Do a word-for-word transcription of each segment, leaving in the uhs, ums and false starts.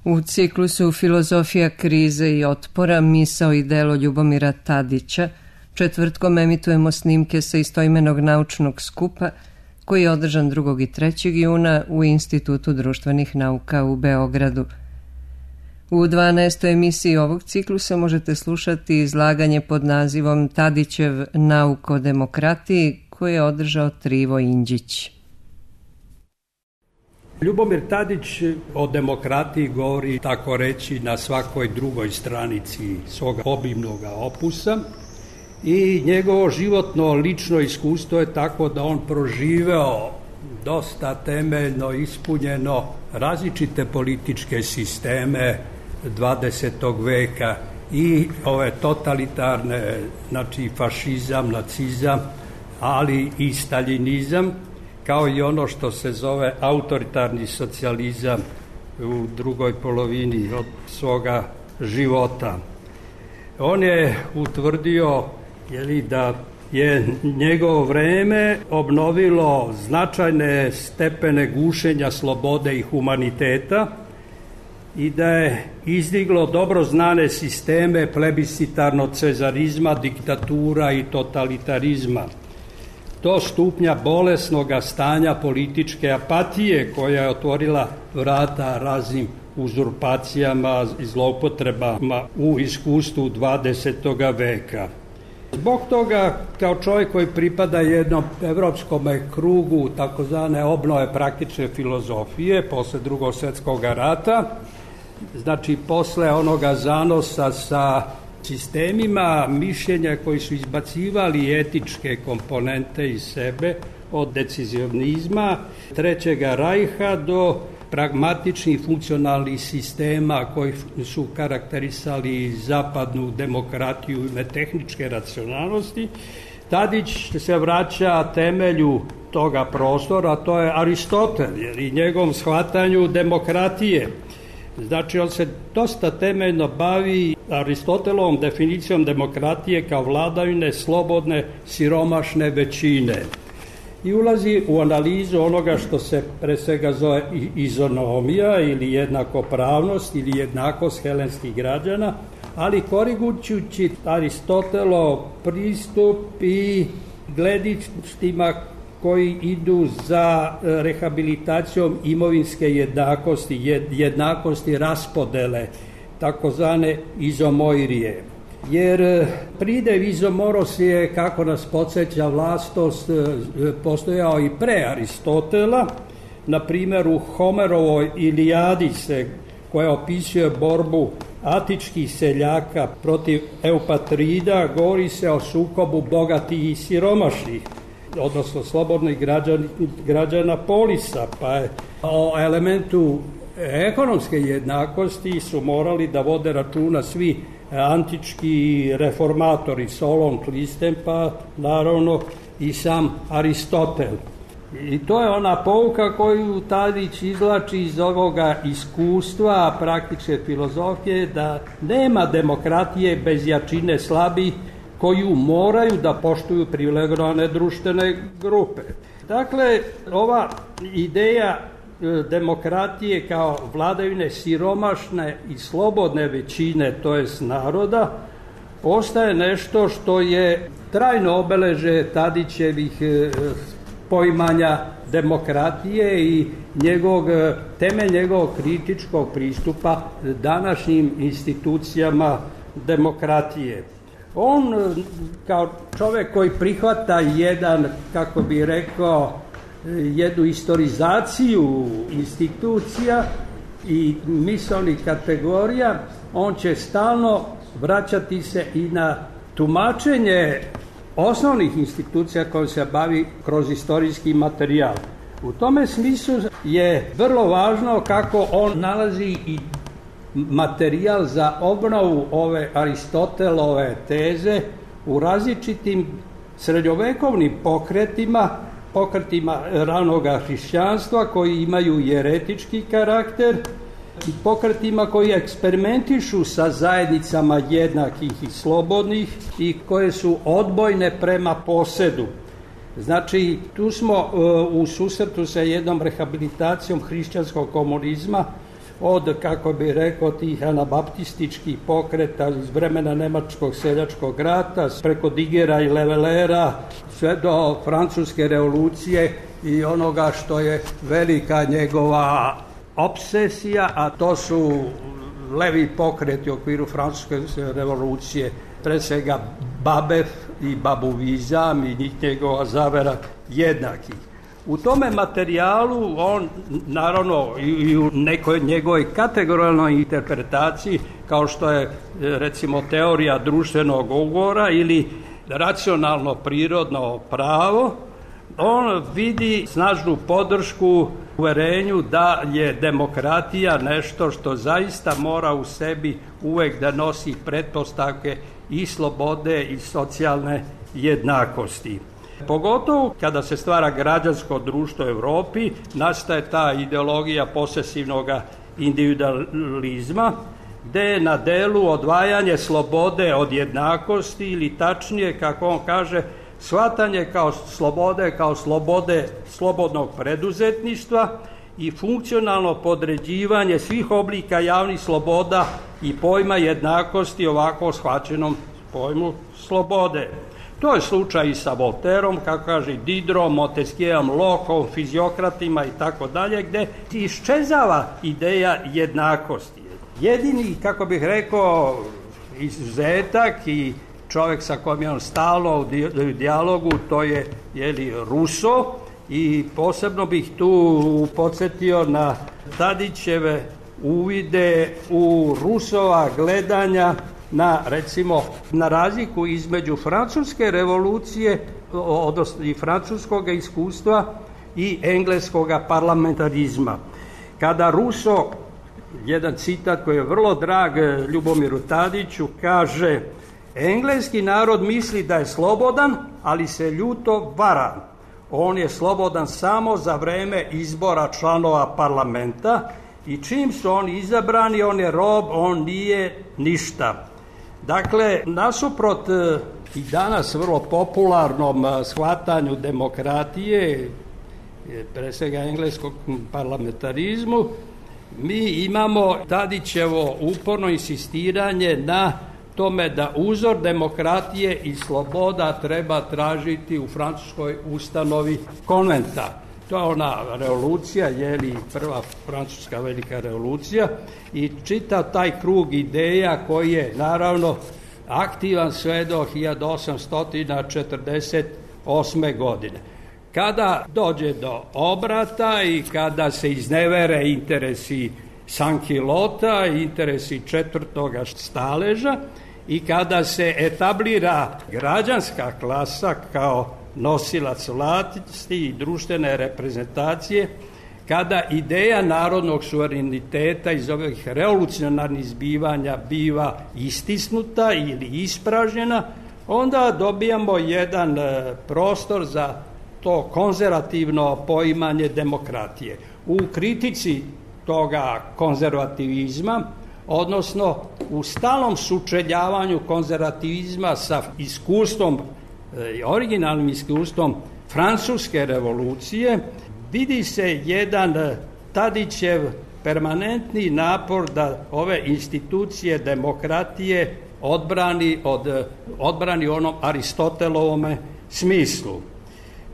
U ciklusu Filozofija krize i otpora, misao i delo Ljubomira Tadića, četvrtkom emitujemo snimke sa istoimenog naučnog skupa koji je održan drugog i trećeg juna u Institutu društvenih nauka u Beogradu. U dvanaestoj emisiji ovog ciklusa možete slušati izlaganje pod nazivom Tadićev nauk o demokratiji koje je održao Trivo Indžić. Ljubomir Tadić o demokratiji govori, tako reći, na svakoj drugoj stranici svoga obimnog opusa i njegovo životno lično iskustvo je tako da on proživeo dosta temeljno ispunjeno različite političke sisteme dvadesetog veka i ove totalitarne, znači fašizam, nacizam, ali i staljinizam, kao i ono što se zove autoritarni socijalizam u drugoj polovini od svoga života. On je utvrdio jeli, da je njegovo vreme obnovilo značajne stepene gušenja slobode i humaniteta i da je izdiglo dobro znane sisteme plebiscitarnog cezarizma, diktatura i totalitarizma. Do stupnja bolesnog stanja političke apatije koja je otvorila vrata raznim uzurpacijama i zloupotrebama u iskustvu dvadesetog veka. Zbog toga, kao čovjek koji pripada jednom evropskom krugu takozvane obnove praktične filozofije posle drugog svjetskog rata, znači posle onoga zanosa sa sistemima mišljenja koji su izbacivali etičke komponente iz sebe, od decizionizma, Trećega rajha do pragmatičnih funkcionalnih sistema koji su karakterisali zapadnu demokratiju ime tehničke racionalnosti, Tadić se vraća temelju toga prostora, to je Aristotel, jer i njegovom shvatanju demokratije. Znači, on se dosta temeljno bavi Aristotelovom definicijom demokratije kao vladavine slobodne, siromašne većine. I ulazi u analizu onoga što se pre svega zove izonomija ili jednakopravnost ili jednakost helenskih građana, ali korigujući Aristotelov pristup i gledištima koji idu za rehabilitacijom imovinske jednakosti, jednakosti raspodele, takozvane izomoirije. Jer pridev izomoros je, kako nas podsjeća vlastost, postojao i pre Aristotela. Na primjer, u Homerovoj Ilijadi se, koja opisuje borbu atičkih seljaka protiv Eupatrida, govori se o sukobu bogatih i siromašnih, odnosno slobodnih građana, građana polisa, pa je o elementu ekonomske jednakosti su morali da vode računa svi antički reformatori, Solon, Klistem, pa naravno i sam Aristotel. I to je ona pouka koju Tadić izvlači iz ovoga iskustva praktične filozofije, da nema demokratije bez jačine slabih koju moraju da poštuju privilegovane društvene grupe. Dakle, ova ideja demokratije kao vladavine siromašne i slobodne većine, to jest naroda, postaje nešto što je trajno obeleže Tadićevih poimanja demokratije i njegovog, temelj njegovog kritičkog pristupa današnjim institucijama demokratije. On, kao čovjek koji prihvata jedan, kako bi rekao, jednu istorizaciju institucija i misaonih kategorija, on će stalno vraćati se i na tumačenje osnovnih institucija kojom se bavi kroz istorijski materijal. U tome smislu je vrlo važno kako on nalazi i materijal za obnovu ove Aristotelove teze u različitim srednjovekovnim pokretima, pokretima ranoga hrišćanstva koji imaju jeretički karakter i pokretima koji eksperimentišu sa zajednicama jednakih i slobodnih i koje su odbojne prema posedu. Znači, tu smo uh, u susretu sa jednom rehabilitacijom hrišćanskog komunizma od, kako bi rekao, tih anabaptističkih pokreta iz vremena Nemačkog seljačkog rata, preko Digera i Levelera, sve do Francuske revolucije i onoga što je velika njegova obsesija, a to su levi pokreti u okviru Francuske revolucije, pre svega Babef i babuvizam i njegova zavera jednakih. U tome materijalu on, naravno, i u nekoj njegovoj kategorijalnoj interpretaciji, kao što je, recimo, teorija društvenog ugovora ili racionalno prirodno pravo, on vidi snažnu podršku uverenju da je demokratija nešto što zaista mora u sebi uvek da nosi pretpostavke i slobode i socijalne jednakosti. Pogotovo kada se stvara građansko društvo u Evropi, nastaje ta ideologija posesivnog individualizma, gde je na delu odvajanje slobode od jednakosti ili tačnije, kako on kaže, shvatanje kao slobode, kao slobode slobodnog preduzetništva i funkcionalno podređivanje svih oblika javnih sloboda i pojma jednakosti ovako shvaćenom pojmu slobode. To je slučaj i sa Volterom, kako kaže Diderom, Montesquieuom, Lockeom, fiziokratima i tako dalje, gde iščezava ideja jednakosti. Jedini, kako bih rekao, izuzetak i čovjek sa kojim je on stalno u dijalogu, to je, jeli, Rousseau, i posebno bih tu podsjetio na Tadićeve uvide u Rousseauova gledanja na, recimo, na razliku između francuske revolucije, odnosno i francuskog iskustva i engleskog parlamentarizma. Kada Rousseau, jedan citat koji je vrlo drag Ljubomiru Tadiću, kaže: engleski narod misli da je slobodan, ali se ljuto vara. On je slobodan samo za vreme izbora članova parlamenta i čim su oni izabrani, on je rob, on nije ništa. Dakle, nasuprot i danas vrlo popularnom shvatanju demokratije, pre svega engleskog parlamentarizmu, mi imamo Tadićevo uporno insistiranje na tome da uzor demokratije i sloboda treba tražiti u francuskoj ustanovi konventa. To je ona revolucija, je li prva francuska velika revolucija, i čitav taj krug ideja koji je naravno aktivan sve do hiljadu osamsto četrdeset osme. godine. Kada dođe do obrata i kada se iznevere interesi Sankilota, interesi četvrtoga staleža, i kada se etablira građanska klasa kao nosilac vlasti i društvene reprezentacije, kada ideja narodnog suvereniteta iz ovih revolucionarnih zbivanja biva istisnuta ili ispražnjena, onda dobijamo jedan prostor za to konzervativno poimanje demokratije. U kritici toga konzervativizma, odnosno u stalnom sučeljavanju konzervativizma sa iskustvom, originalnim iskustvom Francuske revolucije, vidi se jedan Tadićev permanentni napor da ove institucije demokratije odbrani od odbrani u onom Aristotelovome smislu.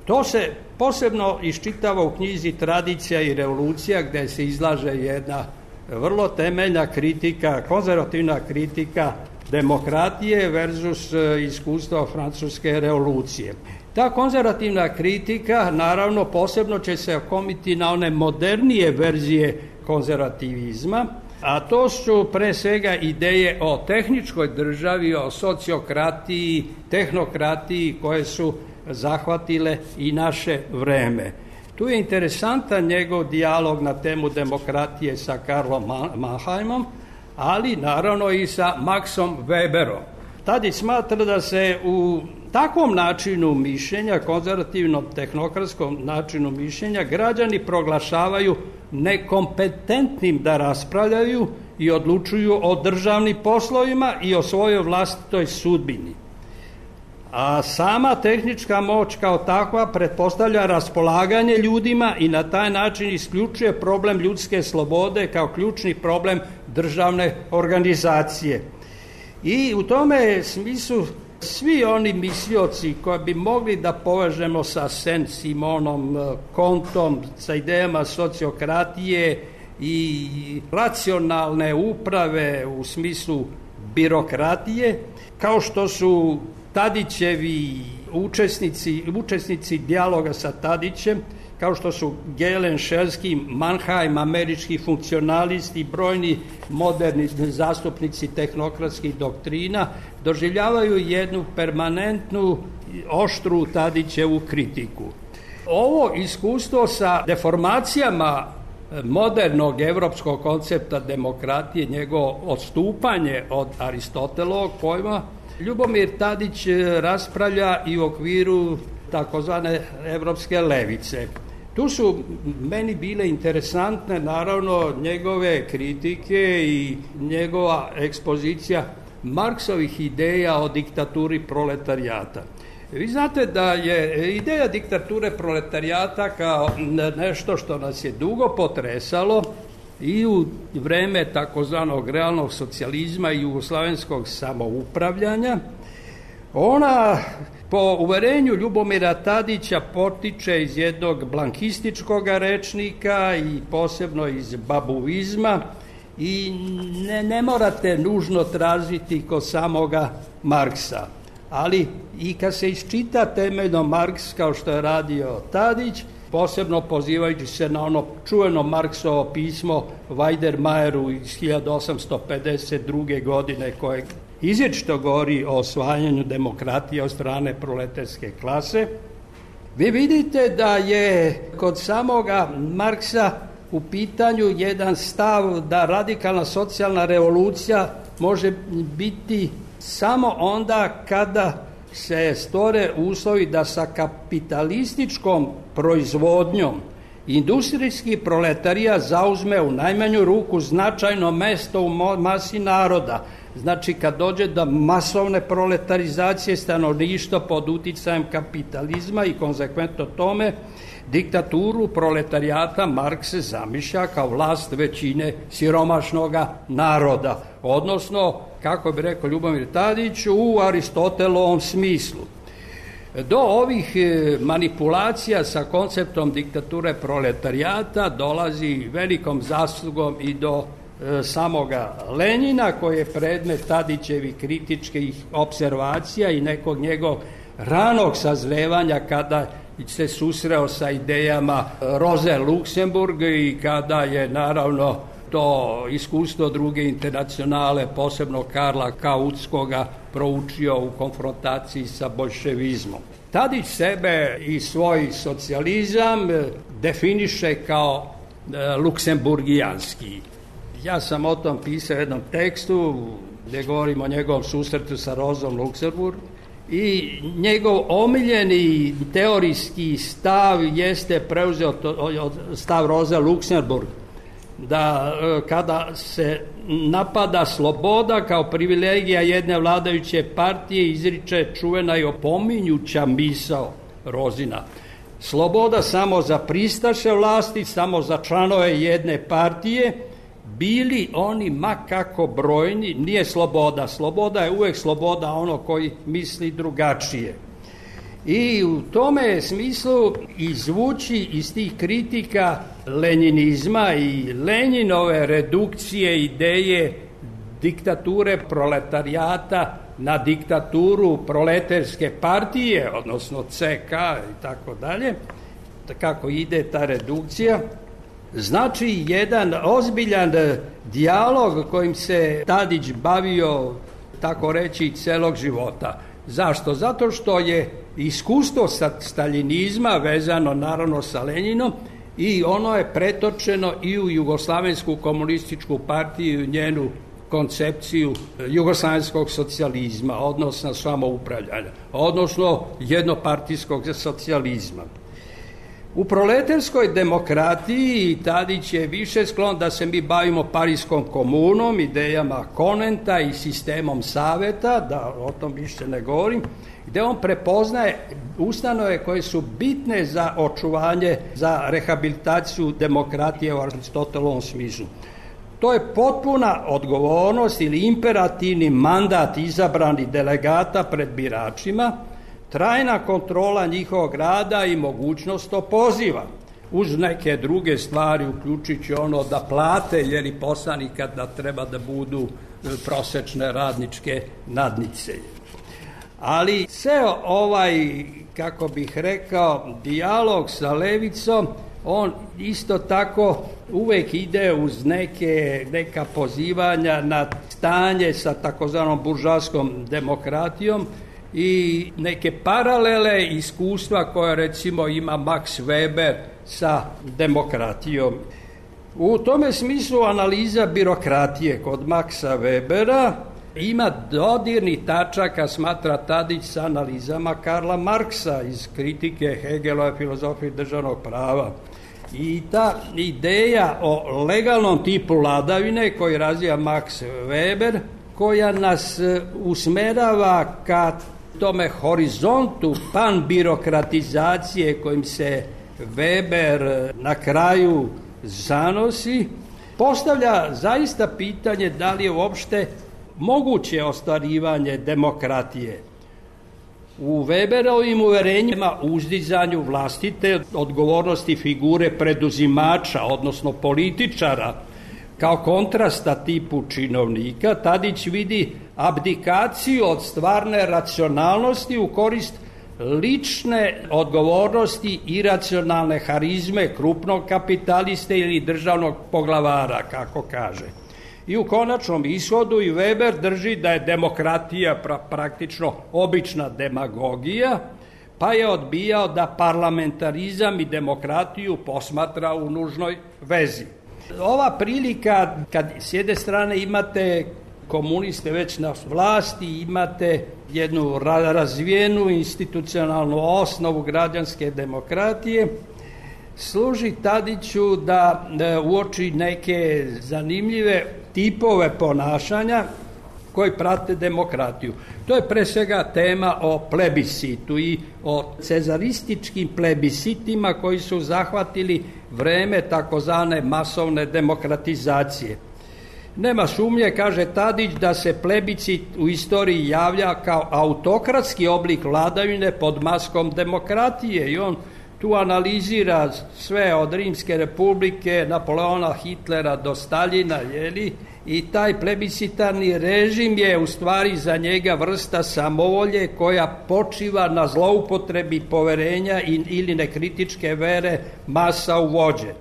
To se posebno iščitava u knjizi Tradicija i revolucija, gde se izlaže jedna vrlo temeljna kritika, konzervativna kritika demokratije versus iskustva francuske revolucije. Ta konzervativna kritika, naravno, posebno će se okomiti na one modernije verzije konzervativizma, a to su pre svega ideje o tehničkoj državi, o sociokratiji, tehnokratiji koje su zahvatile i naše vreme. Tu je interesantan njegov dijalog na temu demokratije sa Karlom Mannheimom, ali naravno i sa Maxom Weberom. Tadić smatra da se u takvom načinu mišljenja, konzervativnom tehnokratskom načinu mišljenja, građani proglašavaju nekompetentnim da raspravljaju i odlučuju o državnim poslovima i o svojoj vlastitoj sudbini. A sama tehnička moć kao takva pretpostavlja raspolaganje ljudima i na taj način isključuje problem ljudske slobode kao ključni problem državne organizacije. I u tome smislu svi oni mislioci koji bi mogli da povežemo sa Saint-Simonom, Comtom, sa idejama sociokratije i racionalne uprave u smislu birokratije, kao što su Tadićevi učesnici, učesnici dijaloga sa Tadićem, kao što su Gehlen, Šelski, Mannheim, američki funkcionalisti, brojni moderni zastupnici tehnokratskih doktrina, doživljavaju jednu permanentnu, oštru Tadićevu kritiku. Ovo iskustvo sa deformacijama modernog evropskog koncepta demokratije, njegovo odstupanje od Aristotelovog pojma, Ljubomir Tadić raspravlja i u okviru takozvane evropske levice. Tu su meni bile interesantne naravno njegove kritike i njegova ekspozicija Marksovih ideja o diktaturi proletarijata. Vi znate da je ideja diktature proletarijata kao nešto što nas je dugo potresalo i u vreme takozvanog realnog socijalizma i jugoslavenskog samoupravljanja. Ona, po uverenju Ljubomira Tadića, potiče iz jednog blankističkog rečnika i posebno iz babuizma i ne, ne morate nužno tražiti kod samoga Marksa. Ali i kad se iščita temeljno Marks, kao što je radio Tadić, posebno pozivajući se na ono čuveno Marksovo pismo Weidermayeru iz hiljadu osamsto pedeset druge. godine, koje izričito govori o osvajanju demokratije od strane proletarske klase, vi vidite da je kod samoga Marksa u pitanju jedan stav da radikalna socijalna revolucija može biti samo onda kada se stvore uslovi da sa kapitalističkom proizvodnjom industrijski proletarija zauzme u najmanju ruku značajno mesto u masi naroda. Znači, kad dođe do masovne proletarizacije stanovništva pod uticajem kapitalizma i konsekventno tome, diktaturu proletarijata Marks se zamišlja kao vlast većine siromašnoga naroda, odnosno, kako bi rekao Ljubomir Tadić, u Aristotelovom smislu. Do ovih manipulacija sa konceptom diktature proletarijata dolazi velikom zaslugom i do e, samoga Lenjina, koji je predmet Tadićevih kritičkih observacija i nekog njegovog ranog sazrevanja kada se susreo sa idejama Roze Luxemburg i kada je naravno to iskustvo druge internacionale, posebno Karla Kautskoga, proučio u konfrontaciji sa bolševizmom. Tadić sebe i svoj socijalizam definiše kao e, luksemburgijanski. Ja sam o tom pisao u jednom tekstu gdje govorim o njegovom susretu sa Rozom Luxemburg i njegov omiljeni teorijski stav jeste preuzeo to, stav Roze Luxemburg, da kada se napada sloboda kao privilegija jedne vladajuće partije, izriče čuvena i opominjuća misao Rozina. Sloboda samo za pristaše vlasti, samo za članove jedne partije, bili oni ma kako brojni, nije sloboda. Sloboda je uvek sloboda ono koji misli drugačije. I u tome smislu izvući iz tih kritika lenjinizma i Lenjinove redukcije ideje diktature proletarijata na diktaturu proletarske partije, odnosno ce ka i tako dalje, kako ide ta redukcija, znači jedan ozbiljan dijalog kojim se Tadić bavio, tako reći, celog života. Zašto? Zato što je iskustvo sa staljinizma vezano naravno sa Lenjinom i ono je pretočeno i u Jugoslavensku komunističku partiju i njenu koncepciju jugoslavenskog socijalizma, odnosno samoupravljanja, odnosno jednopartijskog socijalizma. U proletarskoj demokratiji Tadić je više sklon da se mi bavimo Pariskom komunom, idejama Konenta i sistemom saveta, da o tom više ne govorim, gde on prepoznaje ustanove koje su bitne za očuvanje, za rehabilitaciju demokratije u Aristotelovom smislu. To je potpuna odgovornost ili imperativni mandat izabranih delegata pred biračima, trajna kontrola njihovog rada i mogućnost opoziva, uz neke druge stvari, uključujući ono da plate, jer i poslanika da treba da budu prosečne radničke nadnice. Ali sve ovaj, kako bih rekao, dijalog sa levicom, on isto tako uvek ide uz neke, neka pozivanja na stanje sa takozvanom buržoaskom demokratijom i neke paralele iskustva koje recimo ima Max Weber sa demokratijom. U tome smislu analiza birokratije kod Maxa Webera ima dodirnih tačaka, smatra Tadić, sa analizama Karla Marksa iz kritike Hegelove filozofije državnog prava. I ta ideja o legalnom tipu vladavine koju razvija Max Weber, koja nas usmerava ka tome horizontu panbirokratizacije kojim se Weber na kraju zanosi, postavlja zaista pitanje da li je uopšte moguće ostvarivanje demokratije. U Weberovim uverenjima uzdizanju vlastite odgovornosti figure preduzimača, odnosno političara, kao kontrasta tipu činovnika, Tadić vidi abdikaciju od stvarne racionalnosti u korist lične odgovornosti i iracionalne harizme krupnog kapitaliste ili državnog poglavara, kako kaže. I u konačnom ishodu i Weber drži da je demokratija pra, praktično obična demagogija, pa je odbijao da parlamentarizam i demokratiju posmatra u nužnoj vezi. Ova prilika, kad s jedne strane imate komuniste već na vlasti, imate jednu razvijenu institucionalnu osnovu građanske demokratije, služi Tadiću da uoči neke zanimljive tipove ponašanja koji prate demokratiju. To je pre svega tema o plebiscitu i o cezarističkim plebiscitima koji su zahvatili vreme takozvane masovne demokratizacije. Nema sumnje, kaže Tadić, da se plebiscit u istoriji javlja kao autokratski oblik vladavine pod maskom demokratije i on tu analizira sve od Rimske republike, Napoleona, Hitlera do Staljina, jeli? I taj plebiscitarni režim je u stvari za njega vrsta samovolje koja počiva na zloupotrebi poverenja ili nekritičke vere masa u vođe.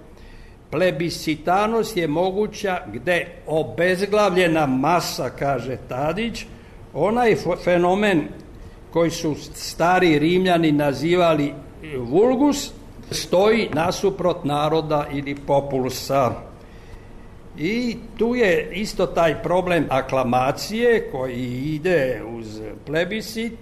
Plebiscitarnost je moguća gde obezglavljena masa, kaže Tadić, onaj fenomen koji su stari Rimljani nazivali vulgus, stoji nasuprot naroda ili populusa. I tu je isto taj problem aklamacije koji ide uz plebiscit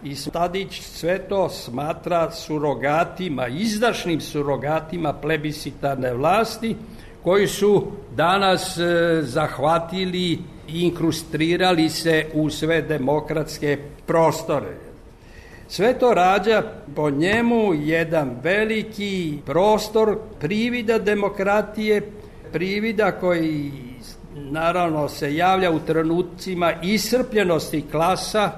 i Tadić sve to smatra surogatima, izdašnim surogatima plebiscitarne vlasti koji su danas e, zahvatili i inkrustrirali se u sve demokratske prostore. Sve to rađa po njemu jedan veliki prostor privida demokratije, privida koji naravno se javlja u trenucima iscrpljenosti klasa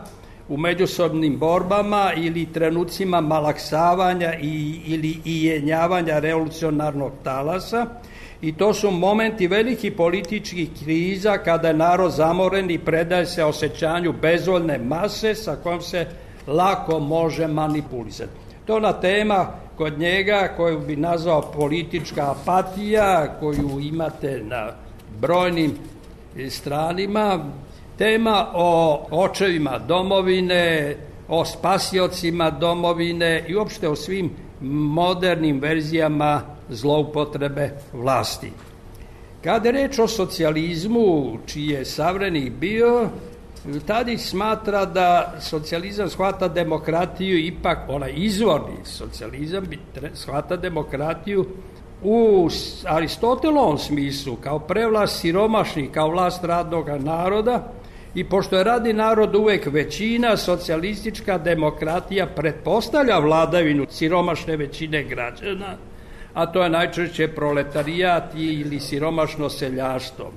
u međusobnim borbama ili trenucima malaksavanja i, ili ijenjavanja revolucionarnog talasa. I to su momenti velikih političkih kriza kada je narod zamoren i predaje se osjećanju bezvoljne mase sa kojom se lako može manipulisati. To je ona tema kod njega koju bi nazvao politička apatija, koju imate na brojnim stranima, tema o očevima domovine, o spasiocima domovine i uopšte o svim modernim verzijama zloupotrebe vlasti. Kada je reč o socijalizmu, čiji je savremenik bio, Tadić smatra da socijalizam shvata demokratiju, ipak onaj izvorni socijalizam shvata demokratiju u Aristotelovom smislu, kao prevlast siromašnih, kao vlast radnog naroda, i pošto je radni narod uvek većina, socijalistička demokratija pretpostavlja vladavinu siromašne većine građana, a to je najčešće proletarijat ili siromašno seljaštvo.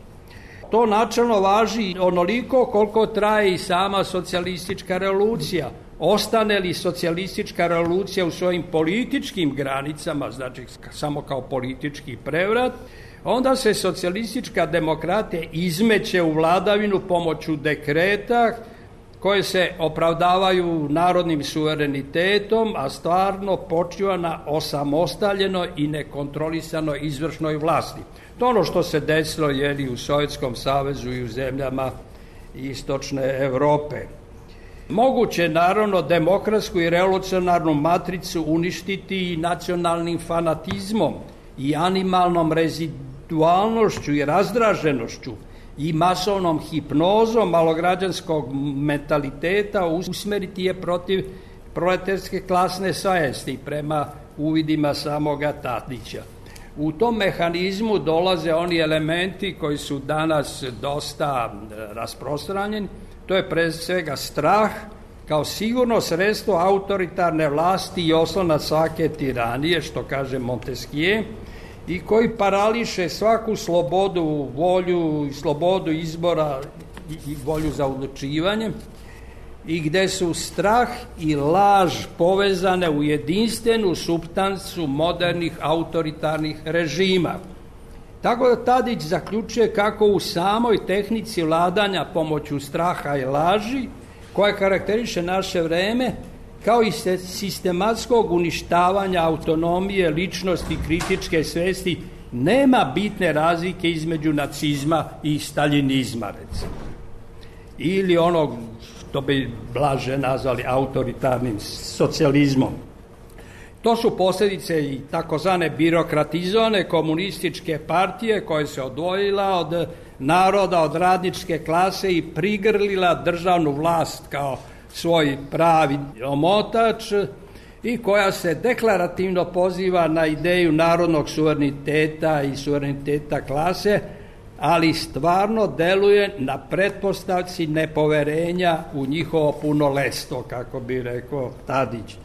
To načelno važi onoliko koliko traje i sama socijalistička revolucija. Ostane li socijalistička revolucija u svojim političkim granicama, znači samo kao politički prevrat, onda se socijalistička demokratija izmeće u vladavinu pomoću dekreta koje se opravdavaju narodnim suverenitetom, a stvarno počiva na osamostaljenoj i nekontrolisanoj izvršnoj vlasti. To ono što se desilo je u Sovjetskom savezu i u zemljama istočne Evrope. Moguće naravno demokratsku i revolucionarnu matricu uništiti i nacionalnim fanatizmom i animalnom rezidualnošću i razdraženošću i masovnom hipnozom malograđanskog mentaliteta usmeriti je protiv proletarske klasne svesti prema uvidima samoga Tadića. U tom mehanizmu dolaze oni elementi koji su danas dosta rasprostranjeni, to je pre svega strah kao sigurno sredstvo autoritarne vlasti i oslonac svake tiranije, što kaže Montesquieu, i koji parališe svaku slobodu, volju i slobodu izbora i volju za odlučivanje, i gde su strah i laž povezane u jedinstvenu supstancu modernih autoritarnih režima. Tako da Tadić zaključuje kako u samoj tehnici vladanja pomoću straha i laži, koja karakteriše naše vreme, kao i sistematskog uništavanja autonomije, ličnosti, kritičke svesti, nema bitne razlike između nacizma i staljinizma, recimo. Ili onog što bi blaže nazvali autoritarnim socijalizmom. To su posljedice i takozvane birokratizovane komunističke partije koja se odvojila od naroda, od radničke klase i prigrlila državnu vlast kao svoj pravi omotač i koja se deklarativno poziva na ideju narodnog suvereniteta i suvereniteta klase, ali stvarno deluje na pretpostavci nepoverenja u njihovo punoletstvo, kako bi rekao Tadić.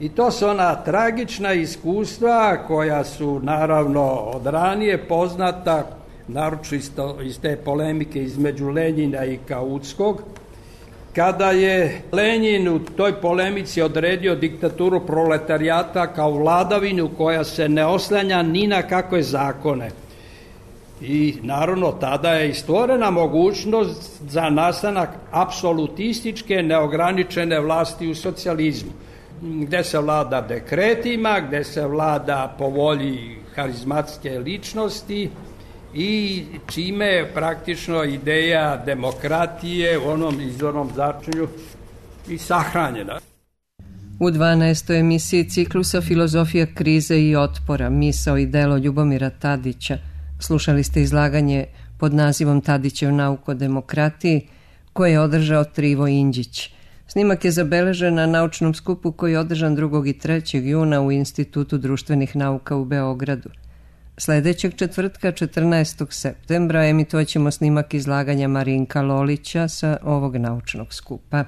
I to su ona tragična iskustva koja su naravno od ranije poznata, naročito iz te polemike između Lenjina i Kautskog, kada je Lenjin u toj polemici odredio diktaturu proletarijata kao vladavinu koja se ne oslanja ni na kakve zakone. I naravno tada je i stvorena mogućnost za nastanak apsolutističke neograničene vlasti u socijalizmu, gde se vlada dekretima, gde se vlada po volji harizmatske ličnosti i čime je praktično ideja demokratije u onom izvornom začinju i sahranjena. U dvanaestoj emisiji ciklusa Filozofija krize i otpora, misao i delo Ljubomira Tadića slušali ste izlaganje pod nazivom Tadićev nauk o demokratiji koje je održao Trivo Indžić. Snimak je zabeležen na naučnom skupu koji je održan drugog i trećeg juna u Institutu društvenih nauka u Beogradu. Sledećeg četvrtka, četrnaestog septembra, emitovaćemo snimak izlaganja Marinka Lolića sa ovog naučnog skupa.